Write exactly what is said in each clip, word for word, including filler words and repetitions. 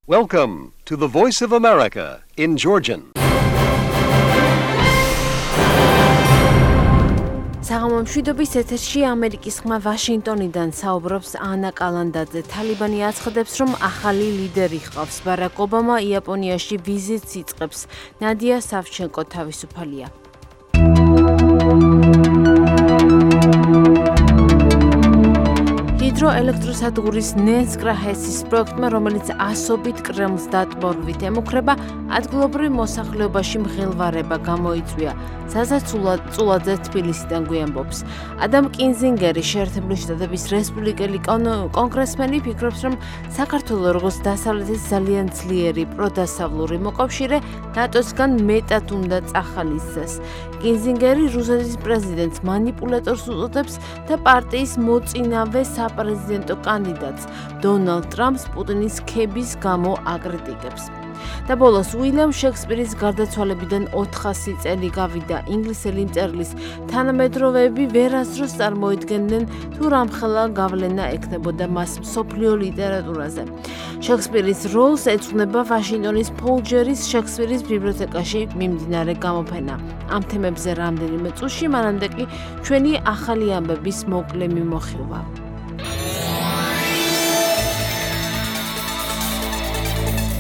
Welcome to the Voice of America in Georgian. საღამო მშვიდობის ეთერში ამერიკის ხმა ვაშინგტონიდან საუბრობს ანა კალანდაძე. თალიბანი აცხადებს, რომ ახალი ლიდერი ჰყავს. ბარაკ ობამა იაპონიაში ვიზიტს იწყებს. ნადია სავჩენკო თავისუფალია. ჰიდროელექტროსადგურის ნენსკრა ჰესის პროექტმა, რომელიც ასობით კრემლს დატბორვით ემუქრება, ადგილობრივ მოსახლეობაში მღელვარება გამოიწვია. ზაზა წულაძე თბილისიდან გვიამბობს. ადამ კინზინგერი, შეერთებული შტატების რესპუბლიკელი კონგრესმენი, ფიქრობს, რომ საქართველოს როგორც დასავლეთის ძალიან ძლიერი პროდასავლური მოკავშირე ნატოსგან მეტად უნდა წახალისდეს. კინზინგერი რუსეთის პრეზიდენტს მანიპულატორს უწოდებს და პარტიის მოწინავე საპრეზიდენტო კანდიდატს დონალდ ტრამპს პუტინის ქების გამო აკრიტიკებს. და ბოლოს უილიამ შექსპირის გარდაცვალებიდან ოთხასი წელი გავიდა. ინგლისელი მწერლის თანამედროვეები ვერასდროს წარმოიდგენდნენ თუ რამხელა გავლენა ექნებოდა მას მსოფლიო ლიტერატურაზე. შექსპირის როლს ეძღვნება ვაშინგტონის ფოლჯერის შექსპირის ბიბლიოთეკაში მიმდინარე გამოფენა. ამ თემებზე რამდენიმე წუთში, მანამდე კი ჩვენი ახალი ამბების მოკლე მიმოხილვა.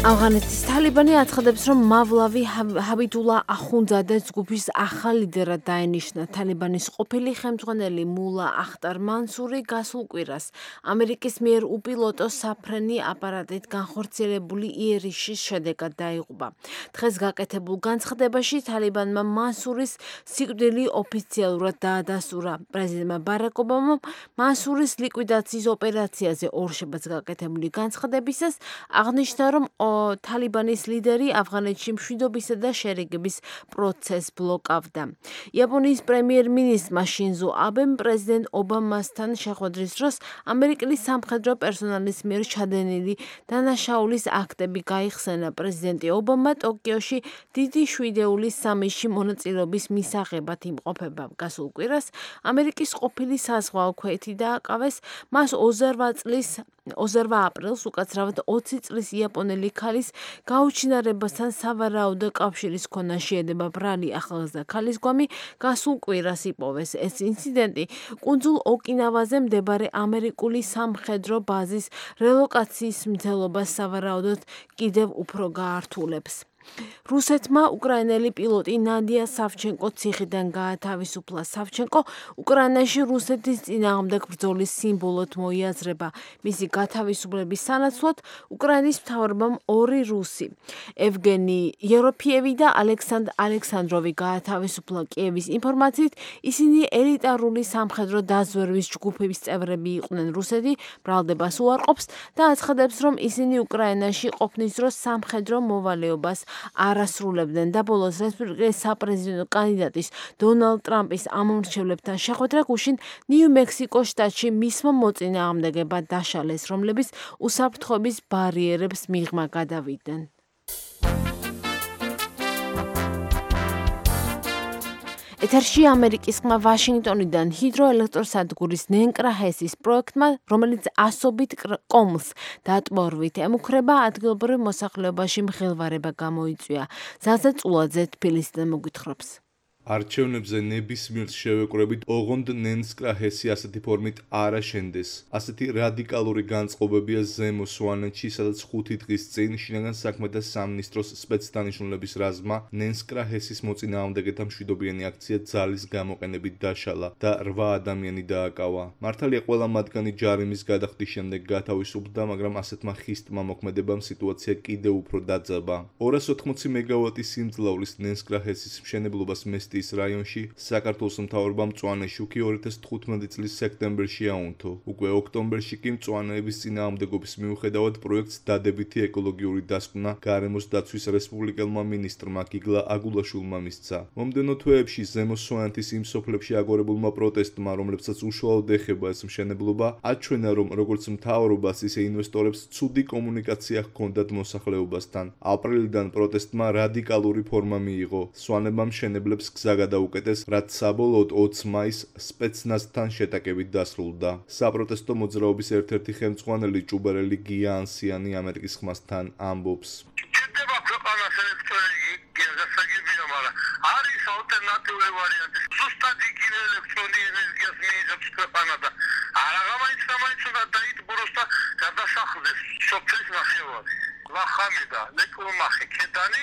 ავღანეთის თალიბანი აცხადებს, რომ მავლავი ჰაბიდულა ახუნძადე ჯგუფის ახალ ლიდერად დაენიშნა. თალიბანის ყოფილი ხელმძღვანელი მულა ახტარ მანსური გასულ კვირას ამერიკის მიერ უპილოტო საფრენი აპარატით განხორციელებული იერიშის შედეგად დაიღუპა. დღეს გაკეთებულ განცხადებაში თალიბანმა მანსურის სიკვდილი ოფიციალურად დაადასტურა. პრეზიდენტმა ბარაკ ობამამ მანსურის ლიკვიდაციის ოპერაციაზე ორშაბათს გაკეთებული განცხადებისას აღნიშნა, რომ თალიბანის ლიდერი ავღანეთში მშვიდობისა და შერიგების პროცესს ბლოკავდა. იაპონიის პრემიერ-მინისტრმა შინზო აბემ პრეზიდენტ ობამასთან შეხვედრის დროს ამერიკული სამხედრო პერსონალის მიერ ჩადენილი დანაშაულის აქტები გაიხსენა. პრეზიდენტი ობამა ტოკიოში დიდი შვიდეულის სამისში მონაწილეობის მისაღებად იმყოფება. გასულ კვირას ამერიკის ყოფილი საზღვაო ქვეითი დააკავეს. მას ოცდაოთხ წლის ოცდაოთხ აპრილს უკაცრავად ოცი წლის იაპონელი ქალის გაუჩინარებასთან სავარაუდო კავშირის ქონა შეედება ბრალი ახალგაზრდა ქალის გვამი გასულ კვირას იპოვეს. ეს ინციდენტი კუნძულ ოკინავაზე მდებარე ამერიკული სამხედრო ბაზის რელოკაციის მცდელობას სავარაუდოდ კიდევ უფრო გაართულებს. რუსეთმა უკრაინელი პილოტი ნადია სავჩენკო ციხიდან გაათავისუფლა. სავჩენკო უკრაინაში რუსეთის წინააღმდეგ ბრძოლის სიმბოლოდ მოიაზრება. მისი გათავისუფლების სანაცვლოდ უკრაინის მთავრობამ ორი რუსი, ევგენი ეროფიევი და ალექსანდრ ალექსანდროვი გაათავისუფლა. კიევის ინფორმაციით, ისინი ელიტარული სამხედრო დაზვერვის ჯგუფების წევრები იყვნენ. რუსეთი ბრალდებას უარყოფს და აცხადებს, რომ ისინი უკრაინაში ყოფნის დროს სამხედრო მოვალეობას არასრულებდნენ. და ბოლოს რესპუბლიკის საპრეზიდენტო კანდიდატის დონალდ ტრამპის ამომრჩევლებთან შეხვედრა გუშინ ნიუ-მექსიკოს შტატში მისმა მოწინააღმდეგებმა დაშალეს, რომლებიც უსაფრთხოების ბარიერებს მიღმა გადავიდნენ. ეთერში ამერიკის ხმა ვაშინგტონიდან ჰიდროელექტროსადგურის ნენკრა ჰესის პროექტმა, რომელიც ასობით კომლს დატბორვით ემუქრება, ადგილობრივ მოსახლეობაში მღელვარება გამოიწვია. ზაზა წულაძე თბილისიდან მოგვითხრობს. არჩევნებზე ნებისმიერ შევეკვრებით ოღონდ ნენსკრა ჰესი ასეთი ფორმით არ აშენდეს. ასეთი რადიკალური განწყობებია ზემო სვანეთში, სადაც ხუთი დღის წინ შინაგან საქმეთა სამინისტროს სპეცდანიშნულების რაზმმა ნენსკრა ჰესის მოწინააღმდეგეთა მშვიდობიანი აქცია ძალის გამოყენებით დაშალა და რვა ადამიანი დააკავა. მართალია ყველა მათგანი ჯარიმის გადახდის შემდეგ გათავისუფლდა, მაგრამ ასეთმა ხისტმა მოქმედებამ სიტუაცია კიდევ უფრო დაძაბა. ორას ოთხმოცი მეგავატი სიმძლავრის ნენსკრა ჰესის მშენებლობას მესტი რაიონში საქართველოს მთავრობამ მწვანე შუქი ორი ათას თხუთმეტი წლის სექტემბერში აუნთო. უკვე ოქტომბერში კი მწვანეების წინააღმდეგობის მიუხედავად პროექტს დადებითი ეკოლოგიური დასკვნა გარემოს დაცვის რესპუბლიკელმა მინისტრმა გიგლა აგულაშვილმა მისცა. მომდევნო თვეებში ზემო სვანეთის იმ სოფლებში აგორებულმა პროტესტმა, რომლებსაც უშუალოდ ეხება ეს მშენებლობა, აჩვენა, რომ როგორც მთავრობას, ისე ინვესტორებს ცუდი კომუნიკაცია ჰქონდათ მოსახლეობასთან. აპრილიდან პროტესტმა რადიკალური ფორმა მიიღო. სვანებმა მშენებლებს გზა გადაუკეტეს, რაც საბოლოოდ ოც მაისს სპეცნაზთან შეტაკებით დასრულდა. საპროტესტო მოძრაობის ერთ-ერთი ხელმძღვანელი ჭუბარელი გია ანსიანი ამერიკის ხმასთან ამბობს. არის ალტერნატიული ვარიანტი. ზუსტად იგივე ელექტრონული ენერგიას მიიღებს ქვეყანა და არაღამაიც სამაიც უნდა დაიტბოროს და გადასახლდეს სოფლის ნახევარი. ლახამი და ლეკლომახი ქედანი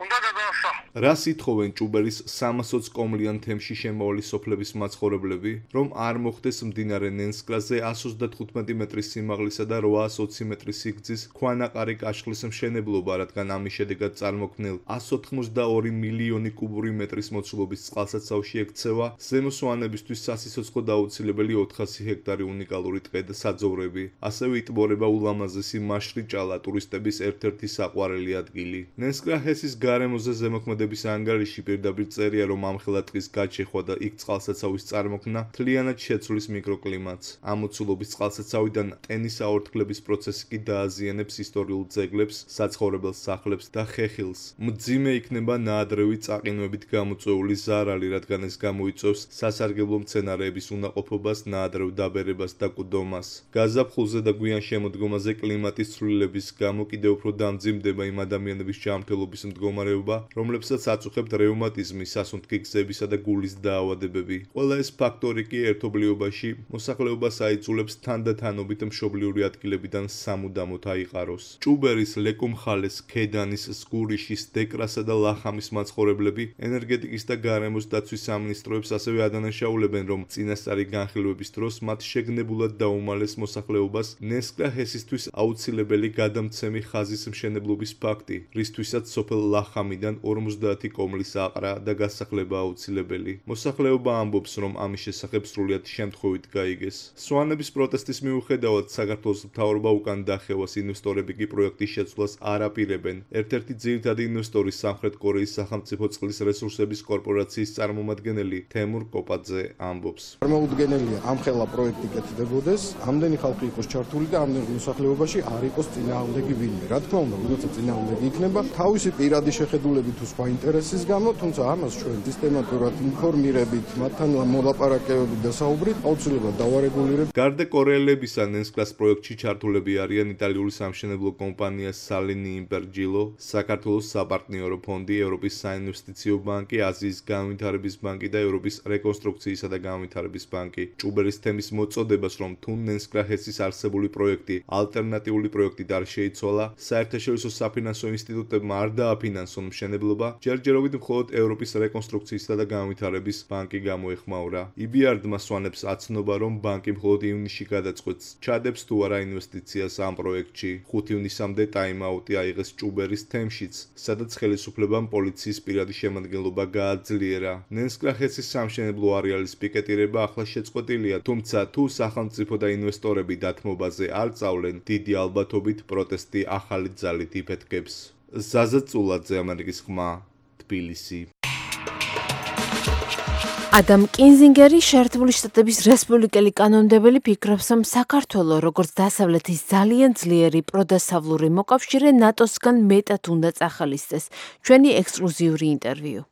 უნდა გადასახლოს. რას ითხოვენ ჭუბერის სამას ოცი კომლიან თემში შემავალი სოფლების მაცხოვრებლები, რომ არ მოხდეს მდინარე ნენსკრაზე εκατს ოცდათხუთმეტი მეტრის სიმაღლისა და რვაას ოცი მეტრის სიგრძის ქვანაყარი კაშხლის მშენებლობა, რადგან ამის შედეგად წარმოქმნილ εκατს ოთხმოცდაორი მილიონი კუბური მეტრის მოცულობის წყალსაცავში ექცევა ზემოსვანებისთვის სასიცოცხლოდ აუცილებელი ოთხასი ჰექტარი უნიკალური ტყე და საძოვრები. ასევე იტბორება ულამაზესი მაშრიჭალა ტურისტების ერთ-ერთი საყვარელი ადგილი. ნენსკრა ჰესის გარემოზე ზემოქმედების ანგარიში პირდაპირ წერია, რომ ამხელა ტყის გაჩეხვა და იქ წყალსაცავის წარმოქმნა მთლიანად შეცვლის მიკროკლიმატს. ამ მოცულობის წყალსაცავიდან ტენის აორთქლების პროცესი კი დააზიანებს ისტორიულ ძეგლებს, საცხოვრებელ სახლებს და ხეხილს. მძიმე იქნება ნაადრევი წაყინვებით გამოწვეული ზარალი, რადგან ეს გამოიწვევს სასარგებლო მცენარეების უნაყოფობას, ნაადრევ დაბერებას და კვდომას. გაზაფხულზე და გვიან შემოდგომაზე კლიმატის ცვლილების გამო კიდევ უფრო დამძიმდება იმ ადამიანების ჯანმრთელობის მდგომარეობა, რომლებსაც აწუხებთ რევმატიზმი, სასუნთქი გზებისა და გულის დაავადებები. ყველა ეს ფაქტორი კი ერთობლიობაში მოსახლეობას აიძულებს თანდათანობით მშობლიური ადგილებიდან სამუდამოდ აიყაროს. ჭუბერის, ლეკუმხალეს, ქედანის, სგურიშის, დეკრასა და ლახამის მაცხოვრებლები ენერგეტიკის და გარემოს დაცვის სამინისტროებს ასევე ადანაშაულებენ, რომ წინასწარი განხილვების დროს მათ შეგნებულად დაუმალეს მოსახლეობას ნენსკრა ჰესისთვის აუცილებელი გადამცემი ხაზის მშენებლობის ფაქტი, რისთვისაც სოფელ ლახამიდან ორმოცდაათი კომლის აყრა და გასახლება აუცილებელი. მოსახლეობა ამბობს, რომ ამის შესახებ სრულიად შემთხვევით გაიგეს. სვანების პროტესტის მიუხედავად საქართველოს მთავრობა უკან დახევას, ინვესტორები კი პროექტის შეცვლას არ აპირებენ. ერთ-ერთი ძირითადი ინვესტორი სამხრეთ კორეის სახელმწიფო წყლის რესურსების კორპორაციის წარმომადგენელი თემურ კოპაძე ამბობს. წარმოუდგენელია ამხელა პროექტი კეთდებოდეს, ამდენი ხალხი იყოს ჩართული და ამდენი მოსახლეობაში არ იყოს წინააღმდეგი ვინმე. რა თქმა უნდა, როცა წინააღმდეგი იქნება, თავისი პირადი შეხედულებით თუ სხვა ინტერესის გამო, თუმცა ამას ჩვენ სისტემატურად ინფორმირებით, მათთან მოლაპარაკებებით და საუბრით აუცილებლად დავარეგულირებთ. გარდა კორეელებისა, ნენსკრას პროექტში ჩართულები არიან იტალიური სამშენებლო კომპანია სალინი იმპერჯილო, საქართველოს საპარტნიორო ფონდი, ევროპის საინვესტიციო ბანკი, აზიის განვითარების ბანკი და ევროპის რეკონსტრუქციისა და განვითარების ბანკი. ჭუბერის თემის მოწოდებას, რომ თუ ნენსკრა ჰესის არსებული პროექტი ალტერნატიული პროექტით არ შეიცვალა, საერთაშორისო საფინანსო ინსტიტუტებმა არ დააფინანსონ მშენებლობა, ჯერჯერობით მხოლოდ ევროპის რეკონსტრუქციისა და განვითარების ბანკი გამოეხმაურა. ი ბი არ-დმა სვანებს აცნობა, რომ ბანკი მხოლოდ ივნისში გადაწყვეტს, ჩადებს თუ არა ინვესტიციას ამ პროექტში. ხუთი ივნისამდე ტაიმაუტი აიღეს ჭუბერის თემშიც, სადაც ხელისუფლებამ პოლიციის პირადი შემადგენლობა გააძლიერა. ნენსკრა ჰესის სამშენებლო არეალის პიკეტირება ახლა შეწყვეტილია, თუმცა თუ სახელმწიფო და ინვესტორები დათმობაზე არ წავლენ, დიდი ალბათობით პროტესტი ახალი ძალით იფეთქებს. ზაზა წულაძე, ამერიკის ხმა, თბილისი. ადამ კინზინგერი, შეერთებული შტატების რესპუბლიკელი კანონმდებელი, ფიქრობს, რომ საქართველო, როგორც დასავლეთის ძალიან ძლიერი პროდასავლური მოკავშირე, ნატოსგან მეტად უნდა წახალისდეს. ჩვენი ექსკლუზიური ინტერვიუ.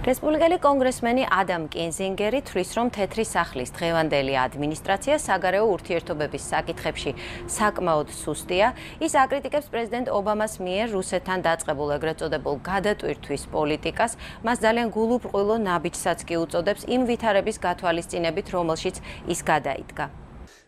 რესპუბლიკელი კონგრესმენი ადამ კინზინგერი თვლის, რომ თეთრი სახლის დღევანდელი ადმინისტრაცია საგარეო ურთიერთობების საკითხებში საკმაოდ სუსტია. ის აკრიტიკებს პრეზიდენტ ობამას მიერ რუსეთთან დაწყებულ ეგრეთ წოდებულ გადატვირთვის პოლიტიკას. მას ძალიან გულუბრყვილო ნაბიჯსაც კი უწოდებს იმ ვითარების გათვალისწინებით, რომელშიც ის გადაიდგა.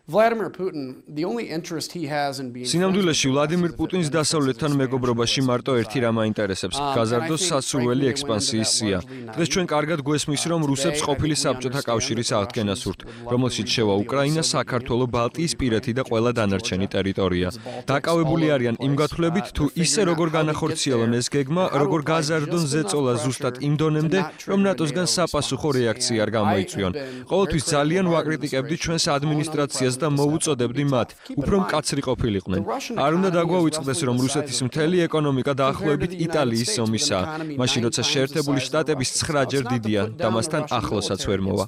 Vladimir Putin, the only interest he has in being სინამდვილეში ვლადიმირ პუტინს დასავლეთთან მეგობრობაში მარტო ერთი რამ აინტერესებს: გაზარდოს სასურველი ექსპანსიის სია. დღეს ჩვენ კარგად გვესმის, რომ რუსებს ყოფილი საბჭოთა კავშირის აღდგენა სურთ, რომელშიც შევა უკრაინა, საქართველო, ბალტიისპირეთი და ყველა დანარჩენი ტერიტორია. დაკავებული არიან იმ გათვლებით, თუ ისე როგორ განახორციელონ ეს გეგმა, როგორ გაზარდონ ზეწოლა ზუსტად იმ დონემდე, რომ ნატოსგან საპასუხო რეაქცია არ გამოიწვიონ. ყოველთვის ძალიან ვაკრიტიკებდი ჩვენს ადმინისტრაციას და მოუწოდებდი მათ, უფრო მკაცრი ყოფილიყვნენ. არ უნდა დაგვავიწყდეს, რომ რუსეთის მთელი ეკონომიკა დაახლოებით იტალიის ზომისაა, მაშინ როცა შეერთებული შტატების ცხრაჯერ დიდია და მასთან ახლოსაც ვერ მოვა.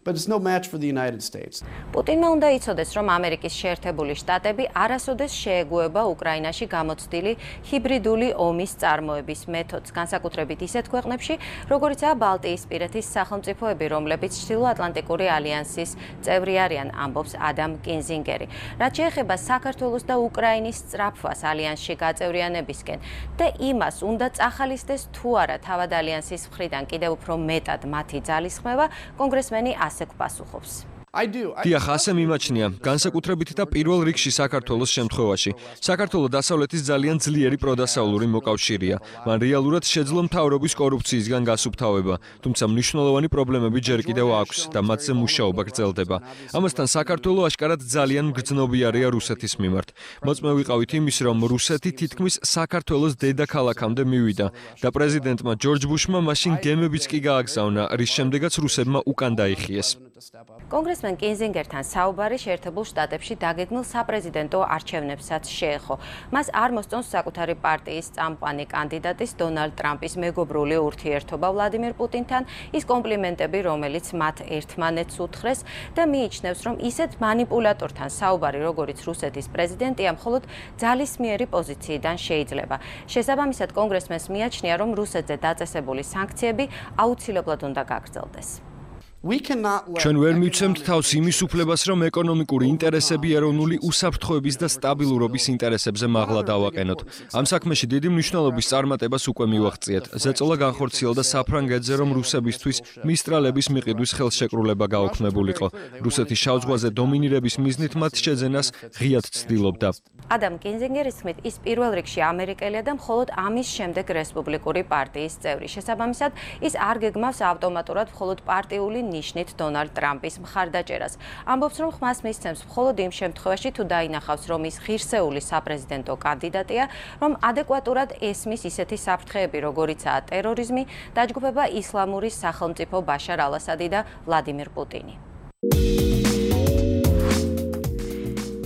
but it's no match for the United States. პუტინმა უნდა იცოდეს, რომ ამერიკის შეერთებული შტატები არასოდეს შეეგუება უკრაინაში გამოცდილი ჰიბრიდული ომის წარმოების მეთოდს, განსაკუთრებით ისეთ ქვეყნებში, როგორიცაა ბალტიისპირეთის სახელმწიფოები, რომლებიც ჩრდილოატლანტიკური ალიანსის წევრი არიან, ამბობს ადამ კინზინგერი. რაც შეეხება საქართველოს და უკრაინის სწრაფვას ალიანსში გაწევრიანებისკენ და იმას, უნდა წახალისდეს თუ არა თავად ალიანსის მხრიდან კიდევ უფრო მეტად მათი ძალისხმევა, კონგრესმენი ასე გვპასუხობს. დიახ, ასე მიმაჩნია, განსაკუთრებით და პირველ რიგში საქართველოს შემთხვევაში. საქართველო დასავლეთის ძალიან ძლიერი პროდასავლური მოკავშირეა. მან რეალურად შეძლო მთავრობის კორუფციისგან გასუფთავება, თუმცა მნიშვნელოვანი პრობლემები ჯერ კიდევ აქვს და მათზე მუშაობა გრძელდება. ამასთან საქართველო აშკარად ძალიან მგრძნობიარეა რუსეთის მიმართ. მოწმე ვიყავით იმის, რომ რუსეთი თითქმის საქართველოს დედაქალაქამდე მივიდა და პრეზიდენტმა ჯორჯ ბუშმა მაშინ გემებიც კი გააგზავნა, რის შემდეგაც რუსებმა უკან დაიხიეს. კონგრესმენ კინზინგერთან საუბარი შეერთებულ შტატებში დაგეგმილ საპრეზიდენტო არჩევნებსაც შეეხო. მას არ მოსწონს საკუთარი პარტიის წამყვანი კანდიდატის დონალდ ტრამპის მეგობრული ურთიერთობა ვლადიმირ პუტინთან, ის კომპლიმენტები, რომელიც მათ ერთმანეთს უთხრეს და მიიჩნევს, რომ ისეთ მანიპულატორთან საუბარი, როგორც რუსეთის პრეზიდენტია, მხოლოდ ძალისმიერი პოზიციიდან შეიძლება. შესაბამისად, კონგრესმენს მიაჩნია, რომ რუსეთზე დაწესებული სანქციები აუცილებლად უნდა გაგრძელდეს. ჩვენ ვერ მივცემთ თავს იმის უფლებას, რომ ეკონომიკური ინტერესები ეროვნული უსაფრთხოების და სტაბილურობის ინტერესებზე მაღლა დავაყენოთ. ამ საქმეში დიდი მნიშვნელობის წარმატებას უკვე მივაღწიეთ. ზეწოლა განხორციელდა საფრანგეთზე, რომ რუსებისთვის მისტრალების მიყიდვის ხელშეკრულება გაუქმებულიყო. რუსეთის შავ ზღვაზე დომინირების მიზნით მათ შეძენას ღიად ცდილობდა. ადამ კინზინგერის თქმით, ის პირველ რიგში ამერიკელია და მხოლოდ ამის შემდეგ რესპუბლიკური პარტიის წევრი. შესაბამისად, ის არ გეგმავს ავტომატურად მხოლოდ პარტიული ნიშნით დონალდ ტრამპის მხარდაჭერას. ამბობს, რომ ხმას მისცემს მხოლოდ იმ შემთხვევაში, თუ დაინახავს, რომ ის ღირსეული საპრეზიდენტო კანდიდატია, რომ ადეკვატურად ესმის ისეთი საფრთხეები, როგორიცაა ტერორიზმი, დაჯგუფება ისლამური სახელმწიფო ბაშარ ალ-ასადი და ვლადიმირ პუტინი.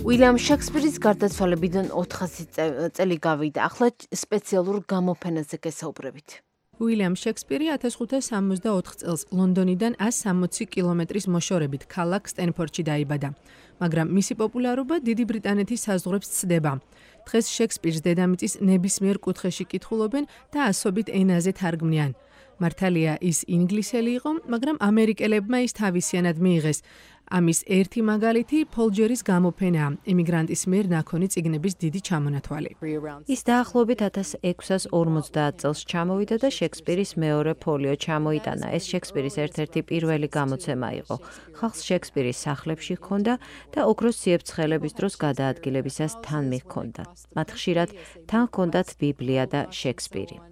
უილიამ შექსპირის გარდაცვალებიდან ოთხასი წელი გავიდა. ახლა სპეციალურ გამოფენაზე გესაუბრებით. უილიამ შექსპირი ათას ხუთას სამოცდაოთხ წელს ლონდონიდან ასი სამოცი კილომეტრის მოშორებით ქალაქ სტენფორდში დაიბადა, მაგრამ მისი პოპულარობა დიდი ბრიტანეთის საზღვრებს ცდება. დღეს შექსპირს დედამიწის ნებისმიერ კუთხეში კითხულობენ და ასობით ენაზე თარგმნიან. მართალია ის ინგლისელი იყო, მაგრამ ამერიკელებმა ის თავისიანად მიიღეს. ამის ერთი მაგალითი პოლ ჯერის გამოფენაა, ემიგრანტის მიერ ნაქონი წიგნების დიდი ჩამონათვალი. ის დაახლოებით ათას ექვსას ორმოცდაათ წელს ჩამოვიდა და შექსპირის მეორე ფოლიო ჩამოიტანა. ეს შექსპირის ერთ-ერთი პირველი გამოცემა იყო. ხალხს შექსპირის სახლებში ჰქონდა და ოქროს ციებ-ცხელების დროს გადაადგილებისას თან მიჰქონდათ. მათ ხშირად თან ჰქონდათ ბიბლია და შექსპირი.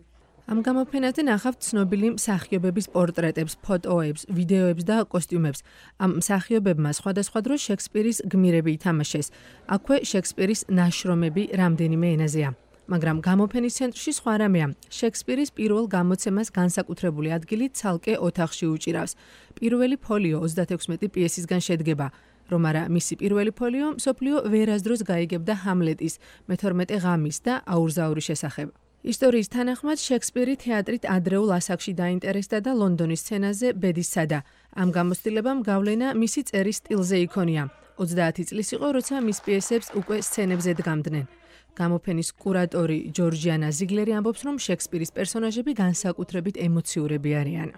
ამ გამოფენაზე ნახავთ ცნობილი მსახიობების პორტრეტებს, ფოტოებს, ვიდეოებს და კოსტიუმებს. ამ მსახიობებმა სხვადასხვა დროს შექსპირის გმირები ითამაშეს. აქვე შექსპირის ნაშრომები რამდენიმე ენაზეა. მაგრამ გამოფენის ცენტრში სხვა რამეა. შექსპირის პირველ გამოცემას განსაკუთრებული ადგილი ცალკე ოთახში უჭირავს. პირველი ფოლიო ოცდათექვსმეტი პიესისგან შედგება. რომ არა მისი პირველი ფოლიო მსოფლიო ვერასდროს გაიგებდა ჰამლეტის, მეთორმეტე ღამის და აურზაურის შესახებ. ისტორიის თანახმად შექსპირი თეატრით ადრეულ ასაკში დაინტერესდა და ლონდონის სცენაზე ბედის სცადა. ამ გამოცდილებამ გავლენა მისი წერის სტილზე იქონია. ოცდაათი წლის იყო, როცა მის პიესებს უკვე სცენებზე დგამდნენ. გამოფენის კურატორი ჯორჯიანა ზიგლერი ამბობს, რომ შექსპირის პერსონაჟები განსაკუთრებით ემოციურები არიან.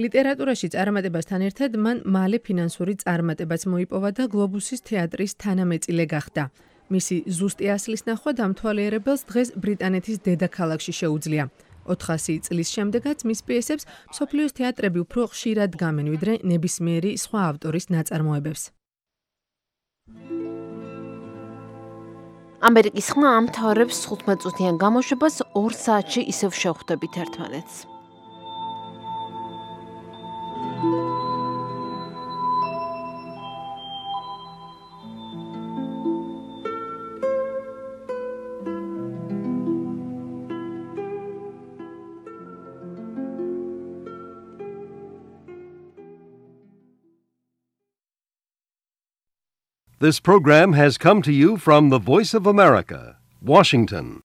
ლიტერატურაში წარმატებასთან ერთად მან მალე ფინანსური წარმატებაც მოიპოვა და გლობუსის თეატრის თანამეწილე გახდა. მისი ზუსტი ასლის ნახვა დამთვალიერებელს დღეს ბრიტანეთის დედაქალაქში შეუძლია. ოთხასი წლის შემდეგაც მის პიესებს მსოფლიოს თეატრები უფრო ხშირად დგამენ, ვიდრე ნებისმიერი სხვა ავტორის ნაწარმოებებს. ამერიკის ხმა ამთავრებს თხუთმეტწუთიან გამოშვებას ორ საათში ისევ შევხვდებით ერთმანეთს. This program has come to you from the Voice of America, Washington.